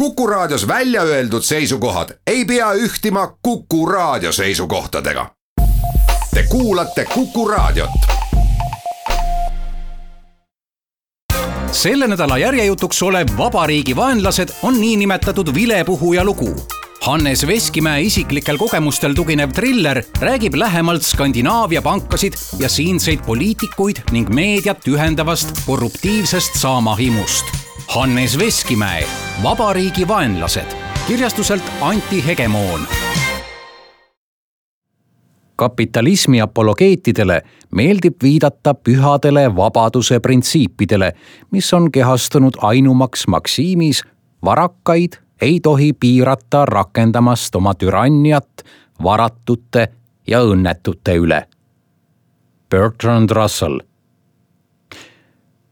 Kuku Raadios välja öeldud seisukohad ei pea ühtima Kuku Raadio seisukohtadega. Te kuulate Kuku Raadiot. Selle nädala järjejutuks olev Vabariigi vaenlased on niinimetatud vilepuhuja lugu. Hannes Veskimäe isiklikel kogemustel tuginev triller räägib lähemalt Skandinaavia pankasid ja siinseid poliitikuid ning meediat ühendavast korruptiivsest saamahimust. Hannes Veskimäe, Vabariigi vaenlased, kirjastuselt Anti Hegemoon. Kapitalismi apologeetidele meeldib viidata pühadele vabaduse printsiipidele, mis on kehastunud ainumaks maksiimis: varakkaid ei tohi piirata rakendamast oma türanniat varatute ja õnnetute üle. Bertrand Russell.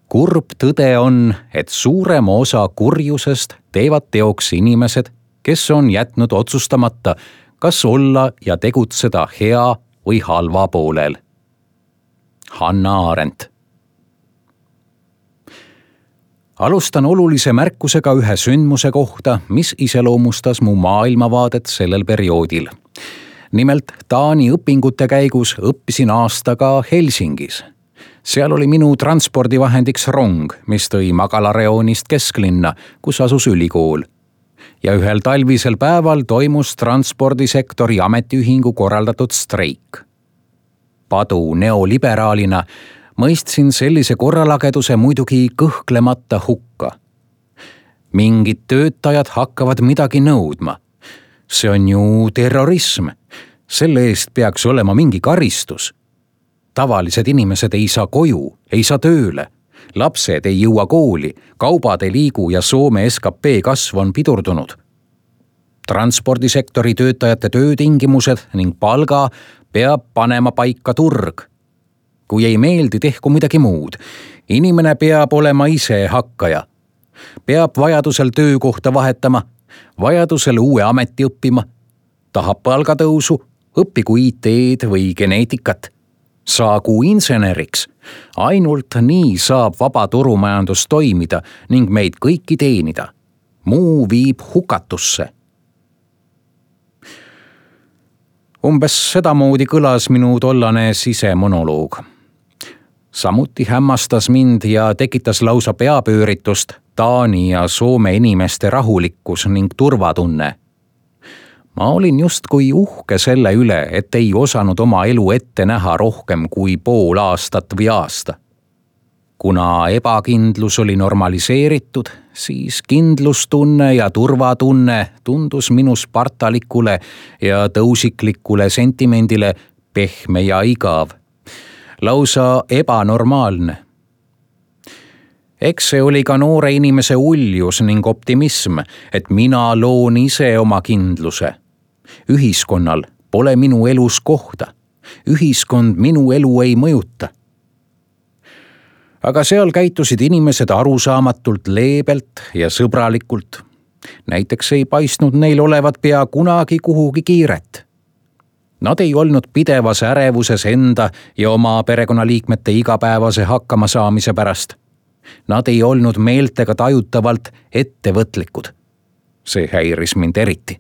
Kurb tõde on, et suurema osa kurjusest teevad teoks inimesed, kes on jätnud otsustamata, kas olla ja tegutseda hea või halva poolel. Hannah Arendt. Alustan olulise märkusega ühe sündmuse kohta, mis iseloomustas mu maailmavaadet sellel perioodil. Nimelt Taani õpingute käigus õppisin aastaga Helsingis. Seal oli minu transpordivahendiks rong, mis tõi magalareoonist kesklinna, kus asus ülikool. Ja ühel talvisel päeval toimus transpordisektori ametiühingu korraldatud streik. Padu neoliberaalina mõistsin sellise korralageduse muidugi kõhklemata hukka. Mingid töötajad hakkavad midagi nõudma. See on ju terrorism. Selle eest peaks olema mingi karistus. Tavalised inimesed ei saa koju, ei saa tööle. Lapsed ei jõua kooli, kaubad ei liigu ja Soome SKP kasv on pidurdunud. Transpordisektori töötajate töötingimused ning palga peab panema paika turg. Kui ei meeldi, tehku midagi muud. Inimene peab olema ise hakkaja. Peab vajadusel töökohta vahetama, vajadusel uue ameti õppima. Tahab palgatõusu, õppigu IT-d või geneetikat. Saagu inseneriks. Ainult nii saab vaba turumajandus toimida ning meid kõiki teenida. Muu viib hukatusse. Umbes sedamoodi kõlas minu tollane sisemonoloog. Samuti hämmastas mind ja tekitas lausa peapööritust Taani ja Soome inimeste rahulikkus ning turvatunne. Ma olin justkui uhke selle üle, et ei osanud oma elu ette näha rohkem kui pool aastat või aasta. Kuna ebakindlus oli normaliseeritud, siis kindlustunne ja turvatunne tundus minu spartalikule ja tõusiklikule sentimendile pehme ja igav. Lausa ebanormaalne. Eks see oli ka noore inimese uljus ning optimism, et mina loon ise oma kindluse. Ühiskonnal pole minu elus kohta. Ühiskond minu elu ei mõjuta. Aga seal käitusid inimesed arusaamatult leebelt ja sõbralikult. Näiteks ei paistnud neil olevat pea kunagi kuhugi kiiret. Nad ei olnud pidevas ärevuses enda ja oma perekonnaliikmete igapäevase hakkama saamise pärast. Nad ei olnud meeltega tajutavalt ettevõtlikud. See häiris mind eriti.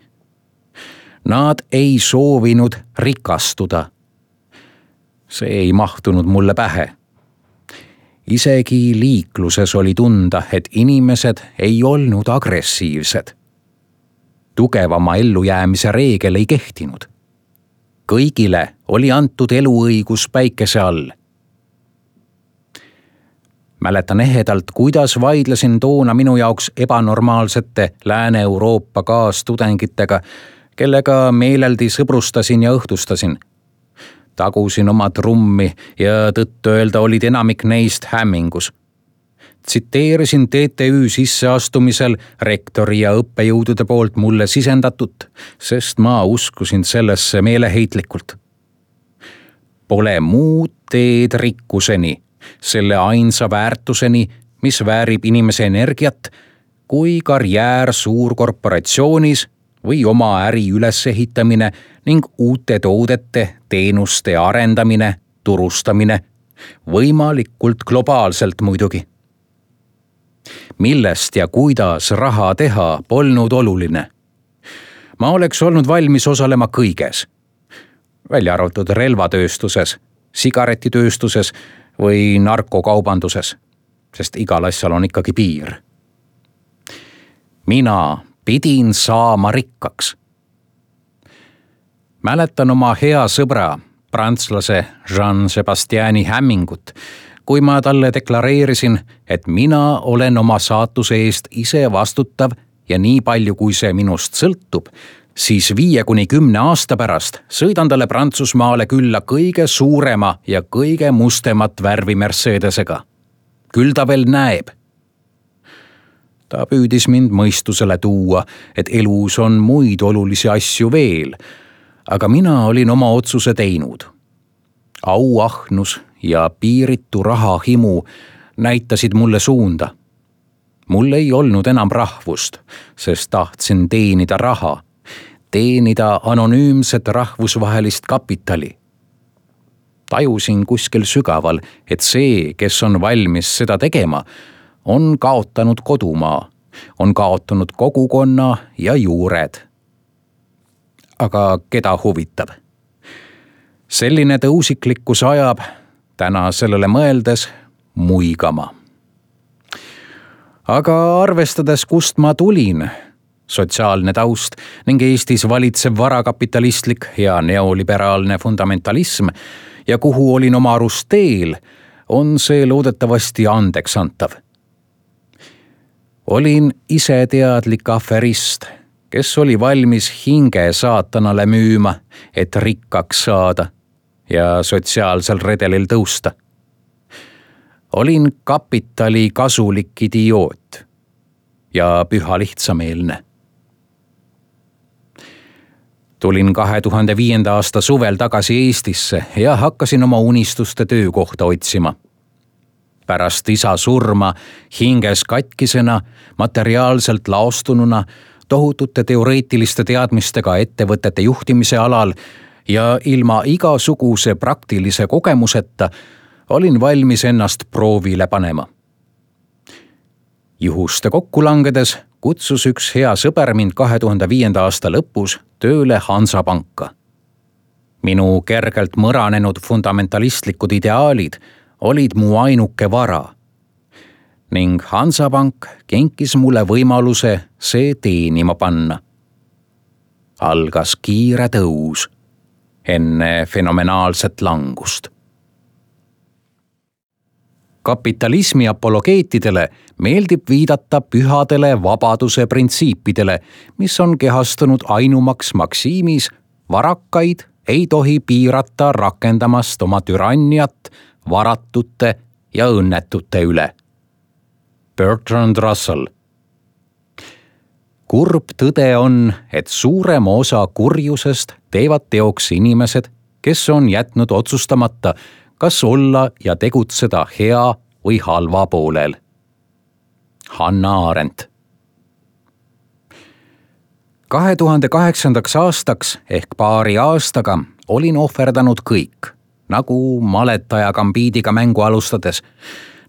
Nad ei soovinud rikastuda. See ei mahtunud mulle pähe. Isegi liikluses oli tunda, et inimesed ei olnud agressiivsed. Tugevama ellujäämise reegel ei kehtinud. Kõigile oli antud eluõigus päikese all. Mäletan ehedalt, kuidas vaidlesin toona minu jaoks ebanormaalsete Lääne-Euroopa kaastudengitega, kellega meeleldi sõbrustasin ja õhtustasin. Tagusin oma trummi ja tõtt öelda olid enamik neist hämmingus. Tsiteerisin TTÜ sisseastumisel rektori ja õppejõudude poolt mulle sisendatut, sest ma uskusin sellesse meeleheitlikult. Pole muud teed rikkuseni, selle ainsa väärtuseni, mis väärib inimese energiat, kui karjäär suurkorporatsioonis või oma äri ülesehitamine ning uute toodete, teenuste arendamine, turustamine, võimalikult globaalselt muidugi. millest ja kuidas raha teha polnud oluline. Ma oleks olnud valmis osalema kõiges, välja arvatud relvatööstuses, sigaretitööstuses või narkokaubanduses, sest igal asjal on ikkagi piir. Mina pidin saama rikkaks. Mäletan oma hea sõbra, prantslase Jean-Sebastiani hämmingut, kui ma talle deklareerisin, et mina olen oma saatuse eest ise vastutav ja nii palju, kui see minust sõltub, siis 5-10 aasta pärast sõidan talle Prantsusmaale külla kõige suurema ja kõige mustemat värvi Mercedesega. Küll ta veel näeb. Ta püüdis mind mõistusele tuua, et elus on muid olulisi asju veel, aga mina olin oma otsuse teinud. Auahnus ja piiritu rahahimu näitasid mulle suunda. Mul ei olnud enam rahvust, sest tahtsin teenida raha, teenida anonüümset rahvusvahelist kapitali. Tajusin kuskil sügaval, et see, kes on valmis seda tegema, on kaotanud kodumaa, on kaotanud kogukonna ja juured. Aga keda huvitab? Selline tõusiklikkus ajab, täna sellele mõeldes, muigama. Aga arvestades, kust ma tulin, sotsiaalne taust ning Eestis valitsev varakapitalistlik ja neoliberaalne fundamentalism ja kuhu olin oma arust teel, on see loodetavasti andeks antav. Olin iseteadlik aferist, kes oli valmis hinge saatanale müüma, et rikkaks saada ja sotsiaalsel redelil tõusta. Olin kapitali kasulik idioot ja püha lihtsameelne. Tulin 2005. aasta suvel tagasi Eestisse ja hakkasin oma unistuste töökohta otsima. Pärast isa surma hinges katkisena, materiaalselt laostununa, tohutute teoreetiliste teadmistega ettevõtete juhtimise alal ja ilma igasuguse praktilise kogemuseta olin valmis ennast proovile panema. Juhuste kokku langedes kutsus üks hea sõber mind 2005. aasta lõpus tööle Hansapanka. Minu kergelt mõranenud fundamentalistlikud ideaalid olid mu ainuke vara ning Hansapank kinkis mulle võimaluse see teenima panna. Algas kiire tõus enne fenomenaalset langust. Kapitalismi apologeetidele meeldib viidata pühadele vabaduse printsiipidele, mis on kehastunud ainumaks maksiimis, varakaid ei tohi piirata rakendamast oma türanniat varatute ja õnnetute üle. Bertrand Russell. Kurb tõde on, et suurema osa kurjusest teevad teoks inimesed, kes on jätnud otsustamata, kas olla ja tegutseda hea või halva poolel. Hannah Arendt. 2008. aastaks ehk paari aastaga olin ohverdanud kõik, nagu maletaja gambiidiga mängu alustades,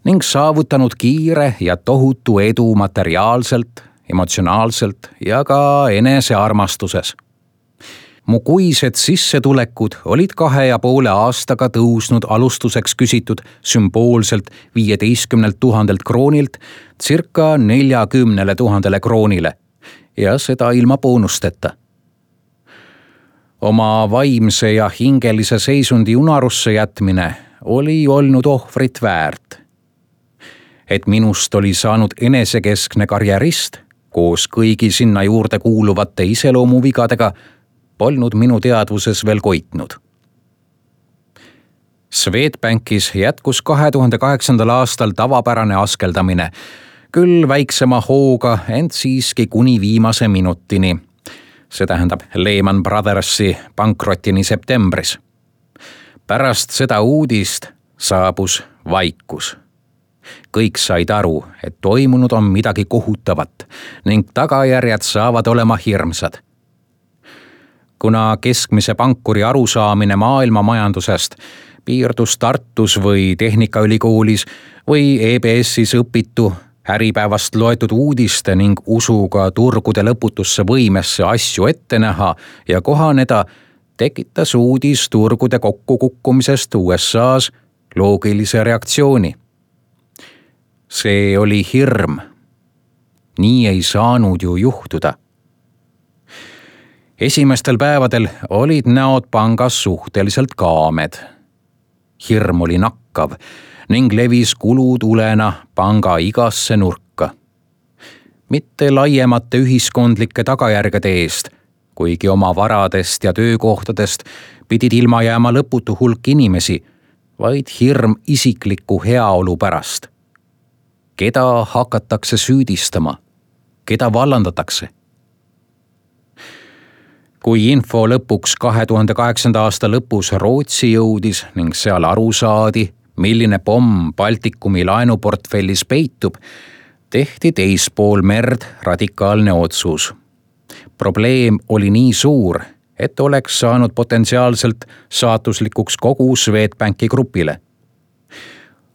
ning saavutanud kiire ja tohutu edu materiaalselt, emotsionaalselt ja ka enesearmastuses. Mu kuised sissetulekud olid 2,5 aastaga tõusnud alustuseks küsitud sümboolselt 15 000 kroonilt circa 40 000 kroonile ja seda ilma boonusteta. Oma vaimse ja hingelise seisundi unarusse jätmine oli olnud ohvrit väärt. Et minust oli saanud enesekeskne karjärist koos kõigi sinna juurde kuuluvate iseloomuvigadega polnud minu teadvuses veel koitnud. Swedbankis jätkus 2008. aastal tavapärane askeldamine, küll väiksema hooga, ent siiski kuni viimase minutini. See tähendab Lehman Brothersi pankrotini septembris. Pärast seda uudist saabus vaikus. Kõik said aru, et toimunud on midagi kohutavat ning tagajärjed saavad olema hirmsad. Kuna keskmise pankuri arusaamine maailma majandusest piirdus Tartus või Tehnikaülikoolis või EBS-is õpitu Äripäevast loetud uudiste ning usuga turgude lõputusse võimesse asju ette näha ja kohaneda, tekitas uudis turgude kokkukukkumisest USA-s loogilise reaktsiooni. See oli hirm. Nii ei saanud ju juhtuda. Esimestel päevadel olid näod pangas suhteliselt kaamed. Hirm oli nakkav ning levis kulutulena panga igasse nurka. Mitte laiemate ühiskondlike tagajärgede eest, kuigi oma varadest ja töökohtadest pidid ilma jääma lõputu hulk inimesi, vaid hirm isikliku heaolu pärast. Keda hakatakse süüdistama? Keda vallandatakse? Kui info lõpuks 2008. aasta lõpus Rootsi jõudis ning seal aru saadi, milline pomm Baltikumi laenuportfellis peitub, tehti teispool merd radikaalne otsus. Probleem oli nii suur, et oleks saanud potentsiaalselt saatuslikuks kogu Swedbanki grupile.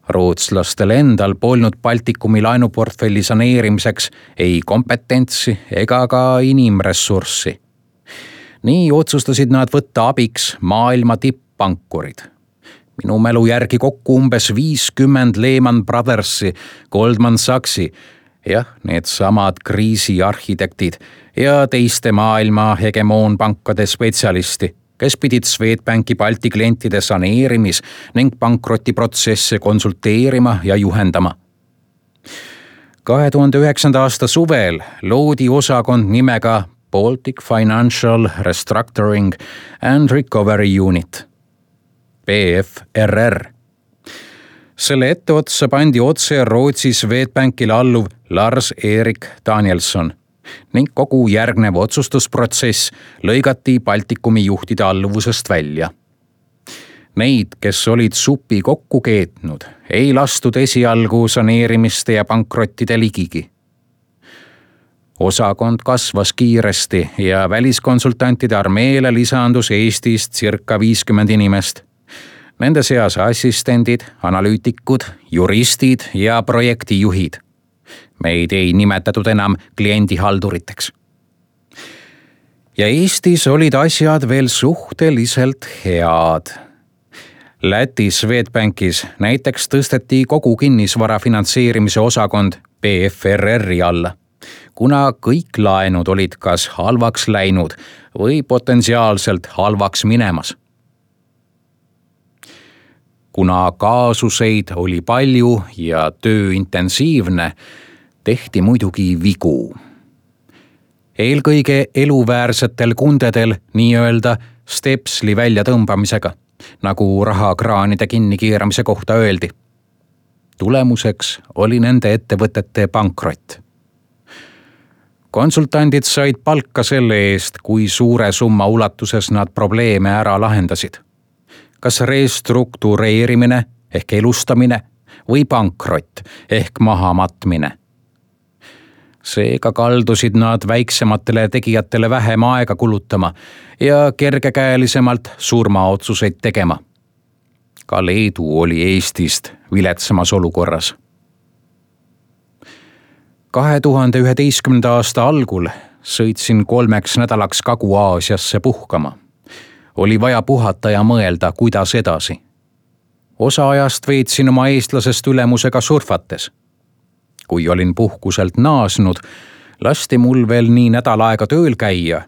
Rootslastel endal polnud Baltikumi laenuportfelli saneerimiseks ei kompetentsi ega ka inimressurssi. Nii otsustasid nad võtta abiks maailma tipppankurid. Minu mälu järgi kokku umbes 50 Lehman Brothersi, Goldman Sachsi, need samad kriisiarhitektid ja teiste maailma hegemoonpankade spetsialisti, kes pidid Swedbanki Balti klientide saneerimis- ning pankrotiprotsesse konsulteerima ja juhendama. 2009. aasta suvel loodi osakond nimega Baltic Financial Restructuring and Recovery Unit, BFRR. Selle etteotsa pandi otse Rootsi Swedbankile alluv Lars-Erik Danielsson ning kogu järgnev otsustusprotsess lõigati Baltikumi juhtide alluvusest välja. Neid, kes olid supi kokku keetnud, ei lastud esialgu saneerimiste ja pankrottide ligigi. Osakond kasvas kiiresti ja väliskonsultantide armeele lisandus Eestist circa 50 inimest. Nende seas assistendid, analüütikud, juristid ja projektijuhid. Meid ei nimetatud enam kliendihalduriteks. Ja Eestis olid asjad veel suhteliselt head. Läti Swedbankis näiteks tõsteti kogu kinnisvara finantseerimise osakond BFRR-i alla, kuna kõik laenud olid kas halvaks läinud või potentsiaalselt halvaks minemas. Kuna kaasuseid oli palju ja töö intensiivne, tehti muidugi vigu. Eelkõige eluväärsetel kundedel nii-öelda stepsli väljatõmbamisega, nagu rahakraanide kinnikeeramise kohta öeldi. Tulemuseks oli nende ettevõtete pankrott. Konsultandid said palka selle eest, kui suure summa ulatuses nad probleeme ära lahendasid. Kas restruktureerimine ehk elustamine või pankrott ehk mahamatmine. Seega kaldusid nad väiksematele tegijatele vähem aega kulutama ja kergekäelisemalt surmaotsuseid tegema. Ka Leedu oli Eestist viletsamas olukorras. 2011. aasta algul sõitsin 3 nädalaks Kagu-Aasiasse puhkama. Oli vaja puhata ja mõelda, kuidas edasi. Osa ajast veetsin oma eestlasest ülemusega surfates. Kui olin puhkuselt naasnud, lasti mul veel nii nädal aega tööl käia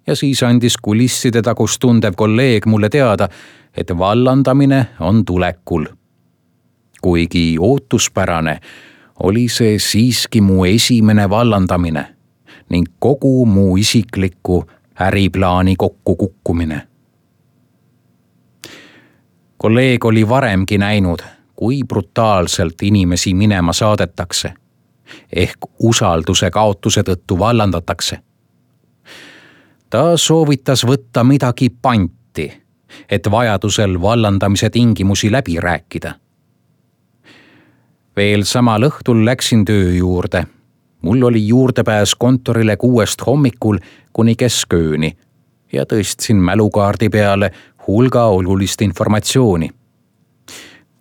ja siis andis kulisside tagust tundev kolleeg mulle teada, et vallandamine on tulekul. Kuigi ootuspärane, oli see siiski mu esimene vallandamine ning kogu mu isikliku äriplaani kokkukukkumine. Kolleeg oli varemgi näinud, kui brutaalselt inimesi minema saadetakse, ehk usalduse kaotuse tõttu vallandatakse. Ta soovitas võtta midagi panti, et vajadusel vallandamise tingimusi läbi rääkida. Veel samal õhtul läksin töö juurde. Mul oli juurdepääs kontorile 6 hommikul kuni keskööni ja tõstsin mälukaardi peale hulga olulist informatsiooni.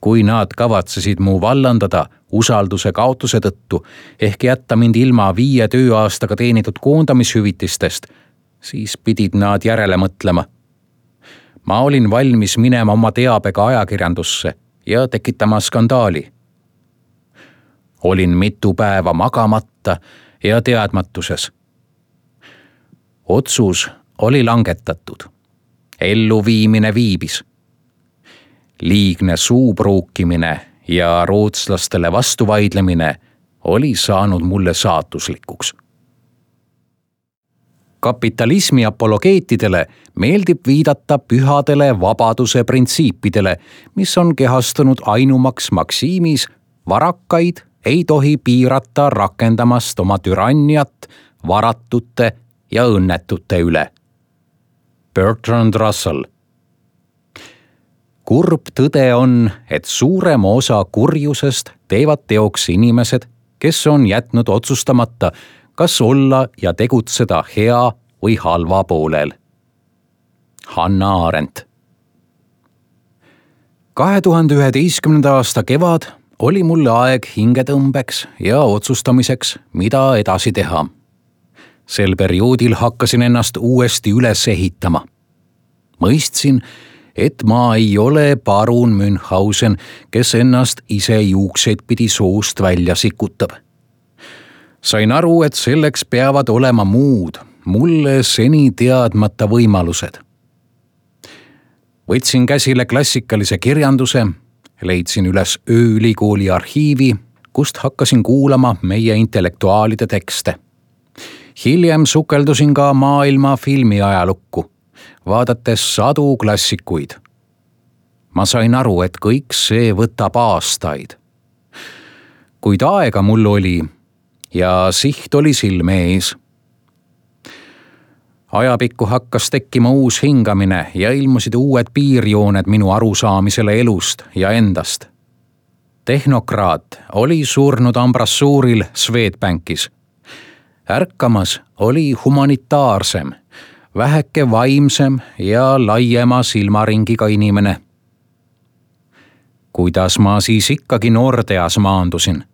kui nad kavatsesid mu vallandada usalduse kaotuse tõttu ehk jätta mind ilma 5 tööaastaga teenitud koondamishüvitistest, siis pidid nad järele mõtlema. Ma olin valmis minema oma teabega ajakirjandusse ja tekitama skandaali. Olin mitu päeva magamata ja teadmatuses. Otsus oli langetatud. Elluviimine viibis. Liigne suupruukimine ja rootslastele vastuvaidlemine oli saanud mulle saatuslikuks. Kapitalismi apologeetidele meeldib viidata pühadele vabaduse printsiipidele, mis on kehastunud ainumaks maksiimis: varakkaid ei tohi piirata rakendamast oma türanniat varatute ja õnnetute üle. Bertrand Russell. Kurb tõde on, et suurema osa kurjusest teevad teoks inimesed, kes on jätnud otsustamata, kas olla ja tegutseda hea või halva poolel. Hannah Arendt. 2011. aasta kevad oli mulle aeg hingetõmbeks ja otsustamiseks, mida edasi teha. Sel perioodil hakkasin ennast uuesti üles ehitama. Mõistsin, et ma ei ole parun Münchhausen, kes ennast ise juukseid pidi soost välja sikutab. Sain aru, et selleks peavad olema muud, mulle seni teadmata võimalused. Võtsin käsile klassikalise kirjanduse, leidsin üles ööülikooli arhiivi, kust hakkasin kuulama meie intellektuaalide tekste. Hiljem sukeldusin ka maailma filmiajalukku, vaadates sadu klassikuid. Ma sain aru, et kõik see võtab aastaid. Kuid aega mul oli ja siht oli silme ees. Ajapikku hakkas tekkima uus hingamine ja ilmusid uued piirjooned minu arusaamisele elust ja endast. Tehnokraat oli surnud ambrassuuril Swedbankis. Ärkamas oli humanitaarsem, väheke vaimsem ja laiema silmaringiga inimene. Kuidas ma siis ikkagi Nordeas maandusin?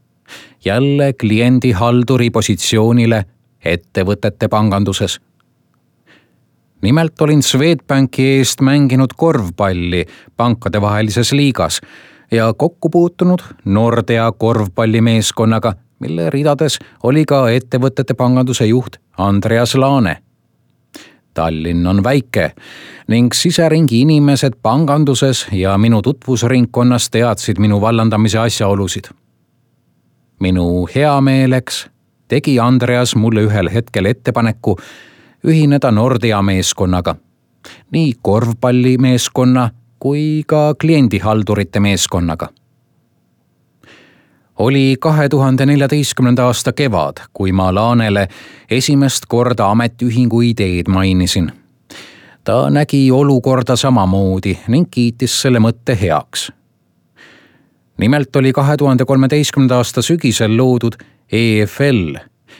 Jälle kliendihalduri positsioonile ettevõtete panganduses. Nimelt olin Swedbanki eest mänginud korvpalli pankadevahelises liigas ja kokku puutunud Nordea korvpallimeeskonnaga, mille ridades oli ka ettevõtete panganduse juht Andreas Laane. Tallinn on väike ning siseringi inimesed panganduses ja minu tutvusringkonnas teadsid minu vallandamise asjaolusid. Minu heameeleks tegi Andreas mulle ühel hetkel ettepaneku ühineda Nordea meeskonnaga, nii korvpallimeeskonna kui ka kliendihaldurite meeskonnaga. Oli 2014. aasta kevad, kui ma Laanele esimest korda ametiühingu ideed mainisin. Ta nägi olukorda samamoodi ning kiitis selle mõtte heaks. Nimelt oli 2013. aasta sügisel loodud EFL,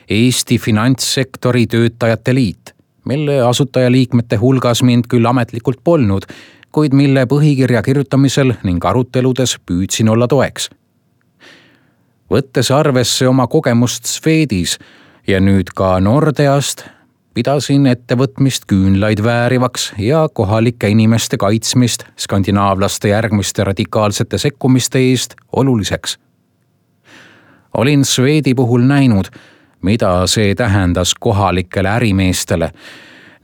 Eesti Finantssektori Töötajate Liit, mille asutajaliikmete hulgas mind küll ametlikult polnud, kuid mille põhikirja kirjutamisel ning aruteludes püüdsin olla toeks. Võttes arvesse oma kogemust Swedis ja nüüd ka Nordeast, pidasin ettevõtmist küünlaid väärivaks ja kohalike inimeste kaitsmist skandinaavlaste järgmiste radikaalsete sekkumiste eest oluliseks. Olin Swedi puhul näinud, mida see tähendas kohalikele ärimeestele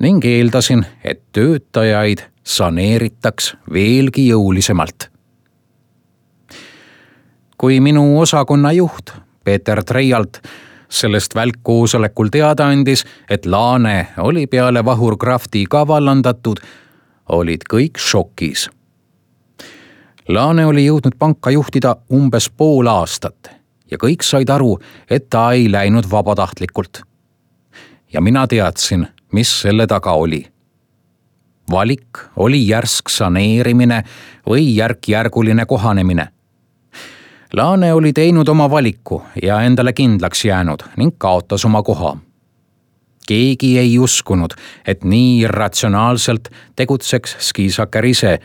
ning eeldasin, et töötajaid saneeritaks veelgi jõulisemalt. Kui minu osakonna juht Peeter Treialt sellest välkkoosolekul teada andis, et Laane oli peale Vahur Krafti ka vallandatud, olid kõik šokis. Laane oli jõudnud panka juhtida umbes pool aastat ja kõik said aru, et ta ei läinud vabatahtlikult. Ja mina teadsin, mis selle taga oli. Valik oli järsk saneerimine või järk-järguline kohanemine. Laane oli teinud oma valiku ja endale kindlaks jäänud ning kaotas oma koha. Keegi ei uskunud, et nii irratsionaalselt tegutseks Skisaker ise,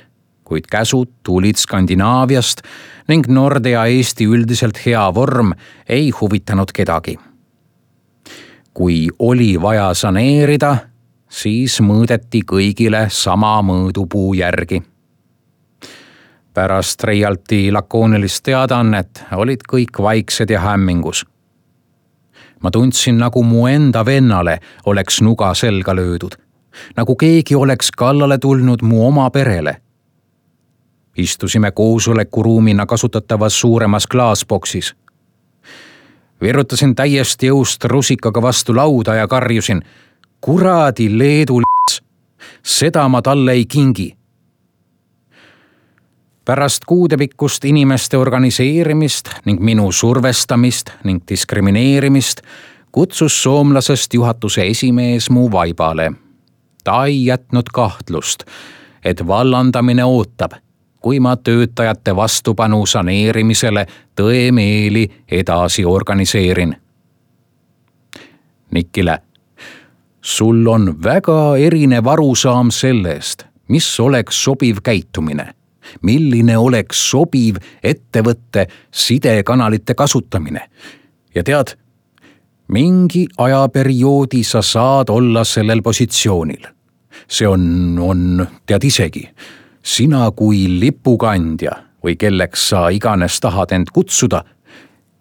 kuid käsud tulid Skandinaaviast ning Nordea Eesti üldiselt hea vorm ei huvitanud kedagi. Kui oli vaja saneerida, siis mõõdeti kõigile sama mõõdupuu järgi. Pärast Reialti lakoonilist teadaannet olid kõik vaiksed ja hämmingus. Ma tundsin, nagu mu enda vennale oleks nuga selga löödud, nagu keegi oleks kallale tulnud mu oma perele. Istusime koosolekuruumina kasutatavas suuremas klaasboksis. Virutasin täiesti jõust rusikaga vastu lauda ja karjusin: kuradi Leedu l***s, seda ma talle ei kingi. Pärast kuudepikkust inimeste organiseerimist ning minu survestamist ning diskrimineerimist kutsus soomlasest juhatuse esimees mu vaibale. Ta ei jätnud kahtlust, et vallandamine ootab, kui ma töötajate vastupanu saneerimisele tõemeeli edasi organiseerin. Nikile, sul on väga erinev arusaam sellest, mis oleks sobiv käitumine. Milline oleks sobiv ettevõtte sidekanalite kasutamine. Ja tead, mingi ajaperioodi sa saad olla sellel positsioonil. See on tead isegi, sina kui lipukandja või kelleks sa iganes tahad end kutsuda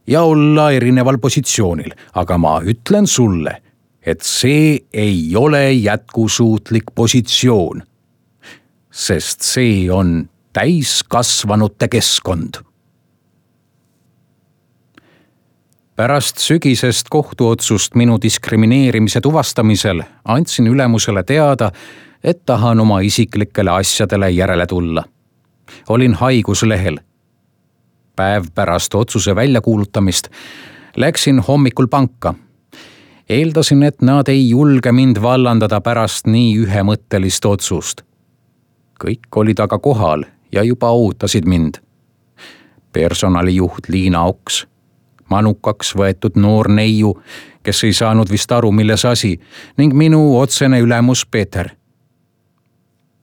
ja olla erineval positsioonil, aga ma ütlen sulle, et see ei ole jätkusuutlik positsioon, sest see on täiskasvanute keskkond. Pärast sügisest kohtuotsust minu diskrimineerimise tuvastamisel andsin ülemusele teada, et tahan oma isiklikele asjadele järele tulla. Olin haiguslehel. Päev pärast otsuse väljakuulutamist läksin hommikul panka. Eeldasin, et nad ei julge mind vallandada pärast nii ühemõttelist otsust. Kõik olid aga kohal ja juba ootasid mind. Personalijuht Liina Oks, manukaks võetud noor neiu, kes ei saanud vist aru, milles asi, ning minu otsene ülemus Peeter.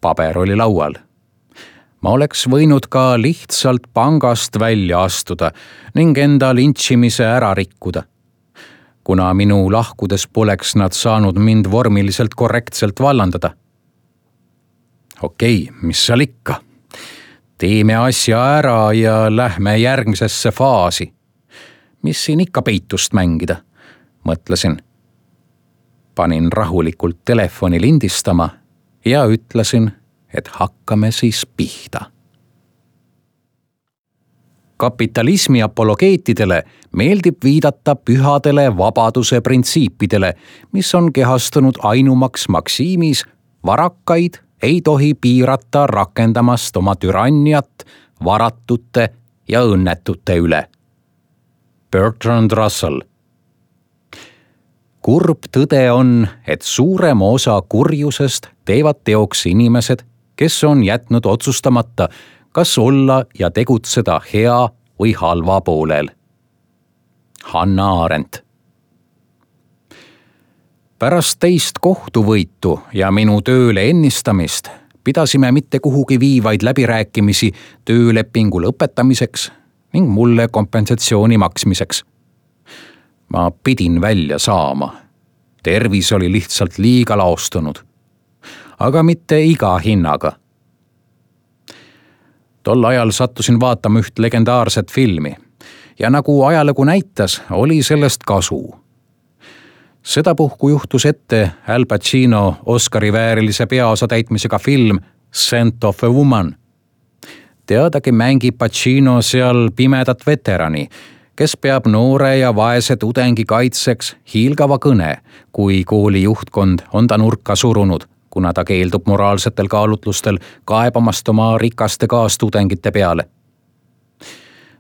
Paber oli laual. Ma oleks võinud ka lihtsalt pangast välja astuda ning enda lintšimise ära rikkuda. Kuna minu lahkudes poleks nad saanud mind vormiliselt korrektselt vallandada. Okei, mis seal ikka? Teeme asja ära ja lähme järgmisesse faasi. Mis siin ikka peitust mängida, mõtlesin. Panin rahulikult telefoni lindistama ja ütlesin, et hakkame siis pihta. Kapitalismi apologeetidele meeldib viidata pühadele vabaduse printsiipidele, mis on kehastunud ainumaks maksiimis varakaid ei tohi piirata rakendamast oma türanniat varatute ja õnnetute üle. Bertrand Russell. Kurb tõde on, et suurema osa kurjusest teevad teoks inimesed, kes on jätnud otsustamata, kas olla ja tegutseda hea või halva poolel. Hannah Arendt. Pärast teist kohtuvõitu ja minu tööle ennistamist pidasime mitte kuhugi viivaid läbirääkimisi töölepingu lõpetamiseks ning mulle kompensatsiooni maksmiseks. Ma pidin välja saama. Tervis oli lihtsalt liiga laostunud. Aga mitte iga hinnaga. Tol ajal sattusin vaatama üht legendaarset filmi ja nagu ajalugu näitas, oli sellest kasu. Sedapuhku juhtus ette Al Pacino Oscari väärilise peaosa täitmisega film Scent of a Woman. Teadagi mängib Pacino seal pimedat veterani, kes peab noore ja vaese tudengi kaitseks hiilgava kõne, kui kooli juhtkond on ta nurka surunud, kuna ta keeldub moraalsetel kaalutlustel kaebamast oma rikaste kaastudengite peale.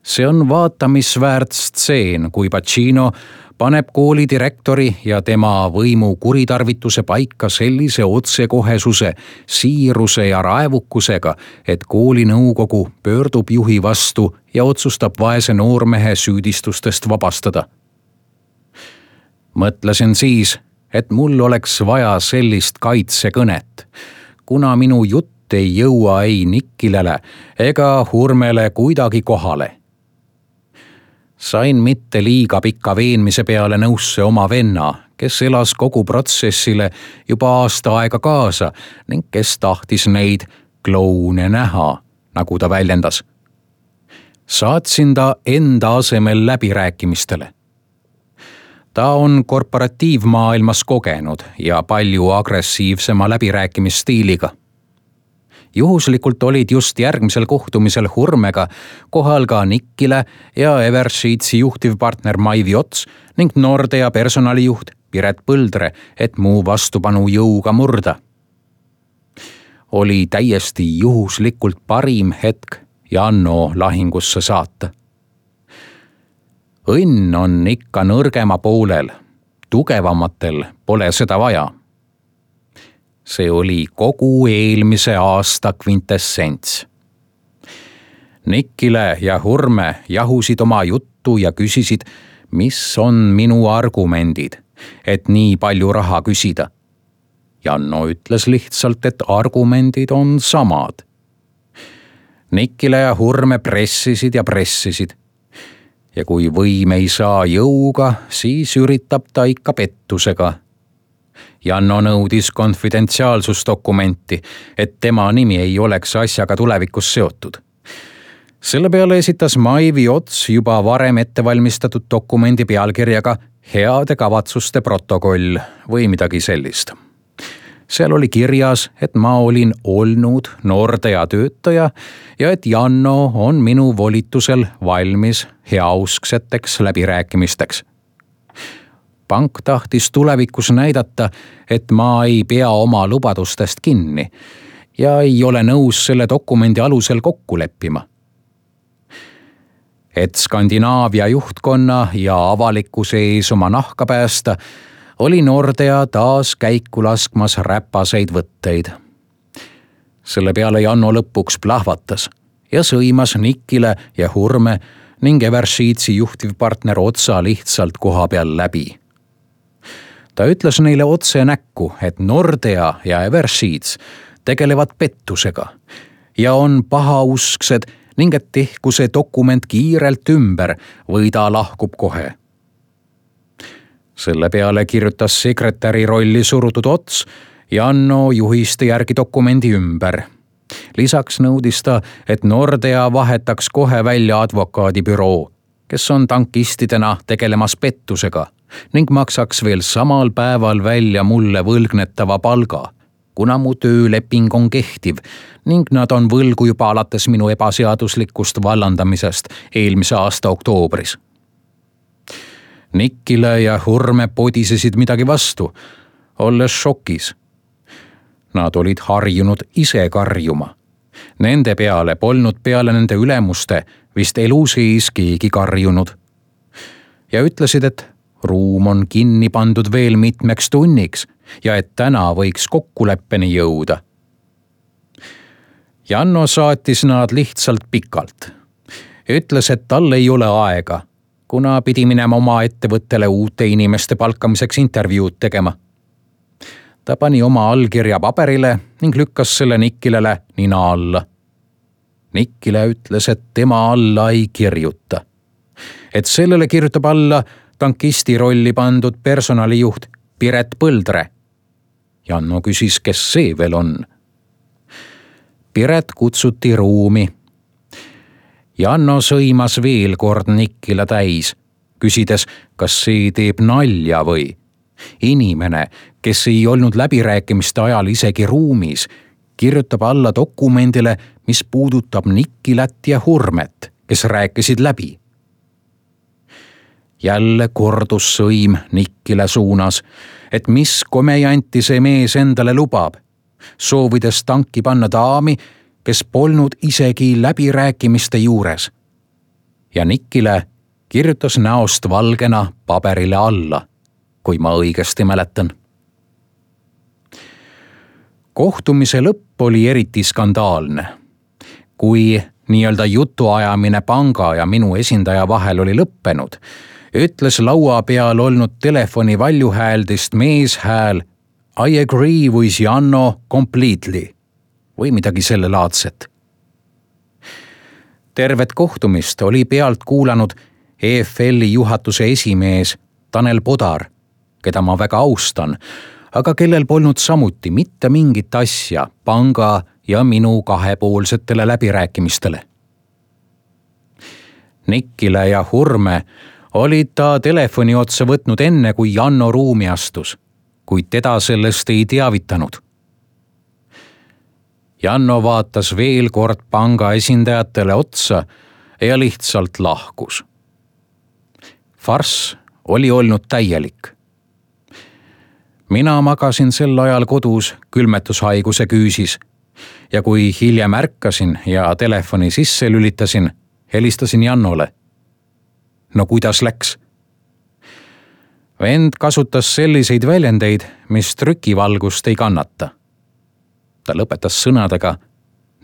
See on vaatamisväärt stseen, kui Pacino paneb kooli direktori ja tema võimu kuritarvituse paika sellise otsekohesuse, siiruse ja raevukusega, et kooli nõukogu pöördub juhi vastu ja otsustab vaese noormehe süüdistustest vabastada. Mõtlesin siis, et mul oleks vaja sellist kaitsekõnet, kuna minu jutt jutt ei jõua ei Nikkilele ega Hurmele kuidagi kohale. Sain mitte liiga pika veenmise peale nõusse oma venna, kes elas kogu protsessile juba aasta aega kaasa ning kes tahtis neid kloune näha, nagu ta väljendas. Saatsin ta enda asemel läbirääkimistele. Ta on korporatiivmaailmas kogenud ja palju agressiivsema läbirääkimisstiiliga. Juhuslikult olid just järgmisel kohtumisel Hurmega kohal ka Nikkile ja Eversheetsi juhtivpartner Maivi Ots ning Nordea personalijuht Piret Põldre, et muu vastupanu jõuga murda. Oli täiesti juhuslikult parim hetk Janno lahingusse saata. Õnn on ikka nõrgema poolel, tugevamatel pole seda vaja. See oli kogu eelmise aasta kvintessents. Nikkile ja Hurme jahusid oma juttu ja küsisid, mis on minu argumendid, et nii palju raha küsida. Janno ütles lihtsalt, et argumendid on samad. Nikkile ja Hurme pressisid ja pressisid. Ja kui võim ei saa jõuga, siis üritab ta ikka pettusega. Janno nõudis konfidentsiaalsusdokumenti, et tema nimi ei oleks asjaga tulevikus seotud. Selle peale esitas Maivi Ots juba varem ettevalmistatud dokumendi pealkirjaga heade kavatsuste protokoll või midagi sellist. Seal oli kirjas, et ma olin olnud Nordea töötaja ja et Janno on minu volitusel valmis heauskseteks läbirääkimisteks. Pank tahtis tulevikus näidata, et ma ei pea oma lubadustest kinni ja ei ole nõus selle dokumendi alusel kokku leppima. Et Skandinaavia juhtkonna ja avalikkuse ees oma nahka päästa, oli Nordea taas käiku laskmas räpaseid võtteid. Selle peale Janno lõpuks plahvatas ja sõimas Nikkile ja Hurme ning Eversheetsi juhtivpartner Otsa lihtsalt koha peal läbi. Ta ütles neile otse näkku, et Nordea ja Eversheets tegelevad pettusega ja on pahausksed ning et tehku see dokument kiirelt ümber või ta lahkub kohe. Selle peale kirjutas sekretäri rolli surutud Ots Janno juhiste järgi dokumendi ümber. Lisaks nõudis ta, et Nordea vahetaks kohe välja advokaadibüroo, kes on tankistidena tegelemas pettusega ning maksaks veel samal päeval välja mulle võlgnetava palga, kuna mu tööleping on kehtiv ning nad on võlgu juba alates minu ebaseaduslikust vallandamisest eelmise aasta oktoobris. Nikkile ja Hurme podisesid midagi vastu, olles šokis. Nad olid harjunud ise karjuma. Nende peale polnud peale nende ülemuste vist elu sees keegi karjunud. Ja ütlesid, et ruum on kinni pandud veel mitmeks tunniks ja et täna võiks kokkuleppeni jõuda. Janno saatis nad lihtsalt pikalt. Ütles, et tal ei ole aega, kuna pidi minema oma ettevõttele uute inimeste palkamiseks intervjuud tegema. Ta pani oma allkirja paberile ning lükkas selle Nikkilele nina alla. Nikkile ütles, et tema alla ei kirjuta. Et sellele kirjutab alla tankisti rolli pandud personalijuht Piret Põldre. Janno küsis, kes see veel on. Piret kutsuti ruumi. Janno sõimas veel kord Nikkile täis, küsides, kas see teeb nalja või. Inimene, kes ei olnud läbirääkimiste ajal isegi ruumis, kirjutab alla dokumendile, mis puudutab Nikkilat ja Hurmet, kes rääkisid läbi. Jälle kordus sõim Nikkile suunas, et mis komejanti see mees endale lubab, soovides tanki panna daami, kes polnud isegi läbirääkimiste juures. Ja Nikkile kirjutas näost valgena paberile alla, kui ma õigesti mäletan. Kohtumise lõpp oli eriti skandaalne. Kui nii-öelda jutuajamine panga ja minu esindaja vahel oli lõppenud, ütles laua peal olnud telefoni valjuhääldist meeshääl I agree with Janno completely. või midagi selle laadset. Tervet kohtumist oli pealt kuulanud EFL-i juhatuse esimees Tanel Podar, keda ma väga austan, aga kellel polnud samuti mitte mingit asja panga ja minu kahepoolsetele läbirääkimistele. Nikile ja Hurme olid ta telefoni otsa võtnud enne, kui Janno ruumi astus, kuid teda sellest ei teavitanud. Janno vaatas veel kord panga esindajatele otsa ja lihtsalt lahkus. Farss oli olnud täielik. Mina magasin sel ajal kodus külmetushaiguse küüsis ja kui hiljem ärkasin ja telefoni sisse lülitasin, helistasin Jannole. No kuidas läks? Vend kasutas selliseid väljendeid, mis trükivalgust ei kannata. Ta lõpetas sõnadega,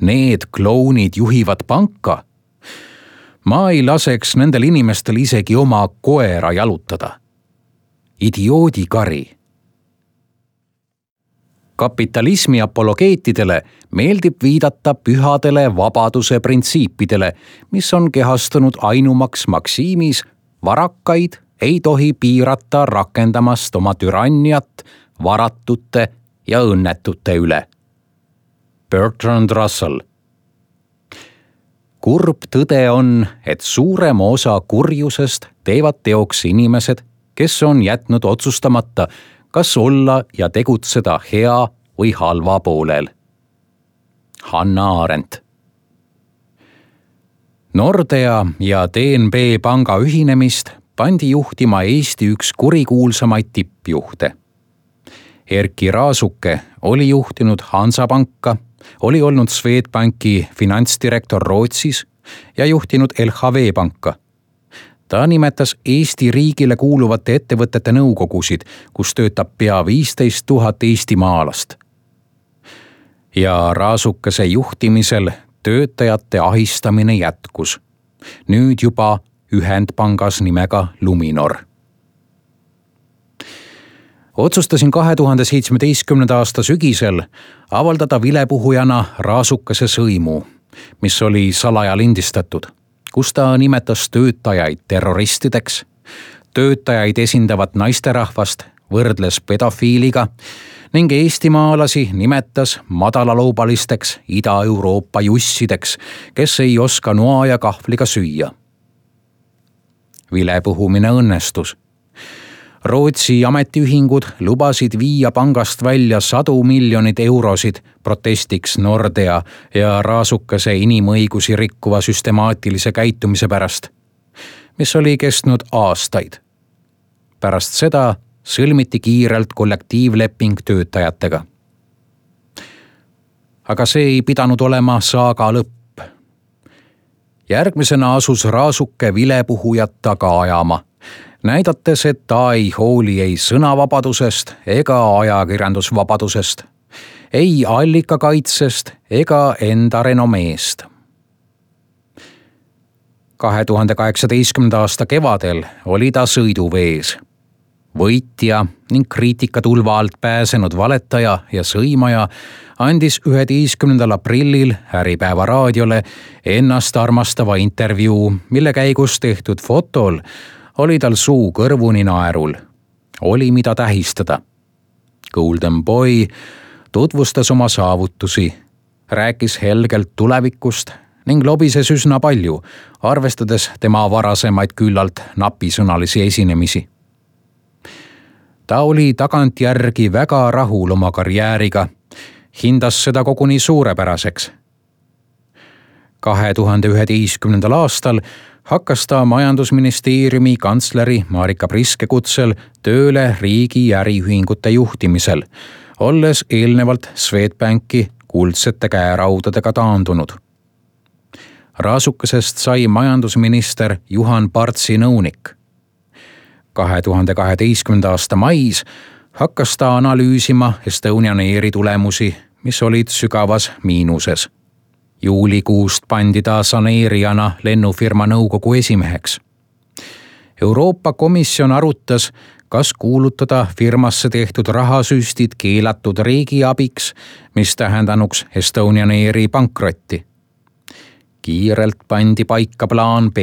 need klounid juhivad panka. Ma ei laseks nendel inimestel isegi oma koera jalutada. Idioodikari. Kapitalismi apologeetidele meeldib viidata pühadele vabaduse printsiipidele, mis on kehastunud ainumaks maksiimis, varakaid ei tohi piirata rakendamast oma türanniat varatute ja õnnetute üle. Bertrand Russell. Kurb tõde on, et suurema osa kurjusest teevad teoks inimesed, kes on jätnud otsustamata, kas olla ja tegutseda hea või halva poolel. Hanna Arendt. Nordea ja DNB panga ühinemist pandi juhtima Eesti üks kurikuulsamaid tippjuhte. Erkki Raasuke oli juhtinud Hansapanka, oli olnud Swedbanki finantsdirektor Rootsis ja juhtinud LHV panka. Ta nimetas Eesti riigile kuuluvate ettevõtete nõukogusid, kus töötab pea 15 000 eestimaalast. Ja Raasukese juhtimisel töötajate ahistamine jätkus. Nüüd juba ühendpangas nimega Luminor. Otsustasin 2017. aasta sügisel avaldada vilepuhujana Raasukese sõimu, mis oli salaja lindistatud, kus ta nimetas töötajaid terroristideks, töötajaid esindavat naisterahvast võrdles pedofiiliga ning eestimaalasi nimetas madalalaubalisteks Ida-Euroopa jussideks, kes ei oska noa ja kahvliga süüa. Vilepuhumine õnnestus. Rootsi ametiühingud lubasid viia pangast välja 100 miljonit eurosid protestiks Nordea ja Raasukese inimõigusi rikkuva süstemaatilise käitumise pärast, mis oli kestnud aastaid. Pärast seda sõlmiti kiirelt kollektiivleping töötajatega. Aga see ei pidanud olema saaga lõpp. Järgmisena asus Raasuke vilepuhujat taga ajama, näidates, et ta ei hooli ei sõnavabadusest ega ajakirjandusvabadusest, ei allikakaitsest ega enda renomeest. 2018. aasta kevadel oli ta sõiduvees. Võitja ning kriitikatulva alt pääsenud valetaja ja sõimaja andis 11. aprillil Äripäeva raadiole ennast armastava intervjuu, mille käigus tehtud fotol oli tal suu kõrvuni naerul. Oli mida tähistada. Golden Boy tutvustas oma saavutusi, rääkis helgelt tulevikust ning lobises üsna palju, arvestades tema varasemaid küllalt napisõnalisi esinemisi. Ta oli tagantjärgi väga rahul oma karjääriga, hindas seda koguni suurepäraseks. 2011. aastal hakkas ta majandusministeeriumi kantsleri Marika Priske kutsel tööle riigi äriühingute juhtimisel, olles eelnevalt Swedbanki kuldsete käeraudadega taandunud. Raasukesest sai majandusminister Juhan Partsi nõunik. 2012. aasta mais hakkas ta analüüsima Estonian Airi tulemusi, mis olid sügavas miinuses. Juulikuust pandi ta saneerijana lennufirma nõukogu esimeheks. Euroopa Komisjon arutas, kas kuulutada firmasse tehtud rahasüstid keelatud riigiabiks, mis tähendanuks Estonian Airi pankrotti. Kiirelt pandi paika plaan B,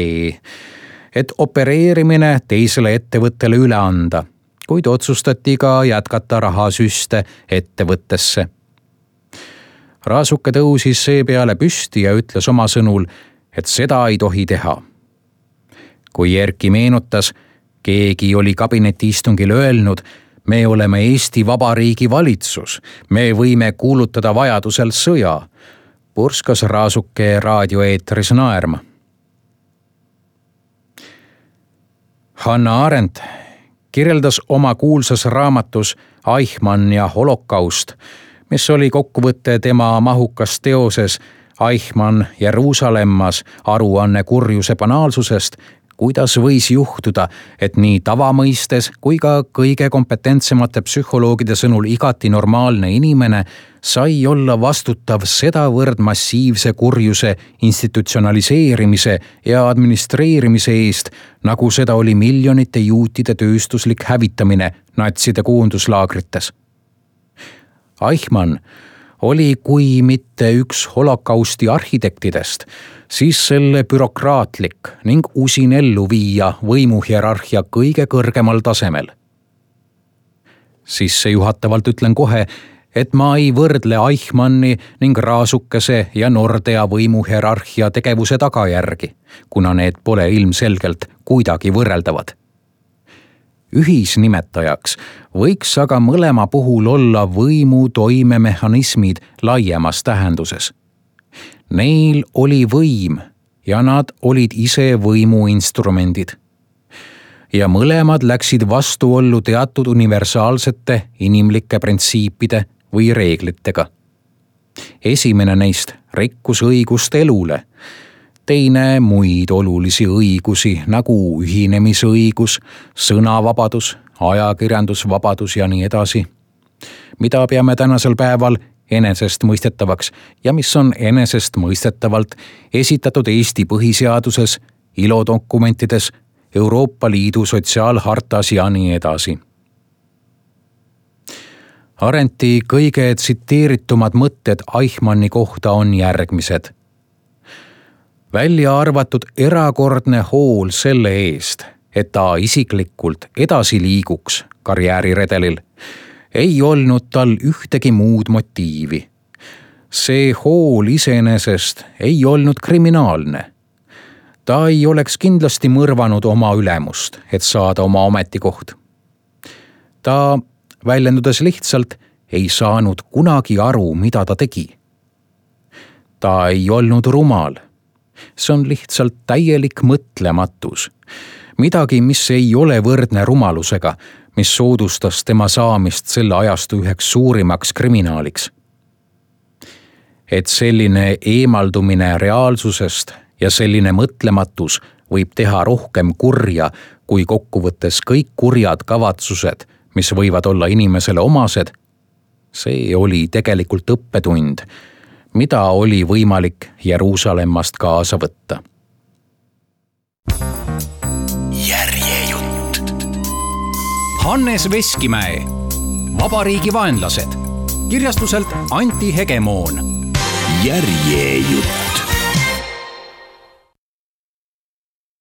et opereerimine teisele ettevõttele üle anda, kuid otsustati ka jätkata rahasüste ettevõttesse. Raasuke tõusis seepeale püsti ja ütles oma sõnul, et seda ei tohi teha. Kui Erki meenutas, keegi oli kabinetiistungil öelnud, me oleme Eesti Vabariigi valitsus, me võime kuulutada vajadusel sõja, purskas Raasuke raadioeetris naerma. Hannah Arendt kirjeldas oma kuulsas raamatus Eichmann ja holokaust, mis oli kokkuvõte tema mahukas teoses Eichmann Jeruusalemmas aruanne kurjuse banaalsusest, kuidas võis juhtuda, et nii tavamõistes kui ka kõige kompetentsemate psühholoogide sõnul igati normaalne inimene sai olla vastutav sedavõrd massiivse kurjuse institutsionaliseerimise ja administreerimise eest, nagu seda oli miljonite juutide tööstuslik hävitamine natside koonduslaagrites. Eichmann oli kui mitte üks holokausti arhitektidest, siis selle bürokraatlik ning usin ellu viia võimuhierarhia kõige kõrgemal tasemel. Sissejuhatavalt ütlen kohe, et ma ei võrdle Eichmanni ning Raasukese ja Nordea võimuhierarhia tegevuse tagajärgi, kuna need pole ilmselgelt kuidagi võrreldavad. Ühisnimetajaks võiks aga mõlema puhul olla võimu toimemehhanismid laiemas tähenduses. Neil oli võim ja nad olid ise võimu instrumendid. Ja mõlemad läksid vastuollu teatud universaalsete inimlike printsiipide või reeglitega. Esimene neist rikkus õigust elule, teine muid olulisi õigusi nagu ühinemisõigus, sõnavabadus, ajakirjandusvabadus ja nii edasi, mida peame tänasel päeval enesestmõistetavaks ja mis on enesestmõistetavalt esitatud Eesti põhiseaduses, ILO dokumentides, Euroopa Liidu sotsiaalhartas ja nii edasi. Arendti kõige tsiteeritumad mõtted Eichmanni kohta on järgmised. Välja arvatud erakordne hool selle eest, et ta isiklikult edasi liiguks karjääriredelil, ei olnud tal ühtegi muud motiivi. See hool iseenesest ei olnud kriminaalne. Ta ei oleks kindlasti mõrvanud oma ülemust, et saada oma ametikoht. Ta, väljendudes lihtsalt, ei saanud kunagi aru, mida ta tegi. Ta ei olnud rumal. See on lihtsalt täielik mõtlematus. Midagi, mis ei ole võrdne rumalusega, mis soodustas tema saamist selle ajastu üheks suurimaks kriminaaliks. Et selline eemaldumine reaalsusest ja selline mõtlematus võib teha rohkem kurja kui kokkuvõttes kõik kurjad kavatsused, mis võivad olla inimesele omased, see oli tegelikult õppetund, mida oli võimalik Jeruusalemmast kaasa võtta. Järjejutt. Hannes Veskimäe, Vabariigi vaenlased, kirjastuselt Anti Hegemoon. Järjejutt.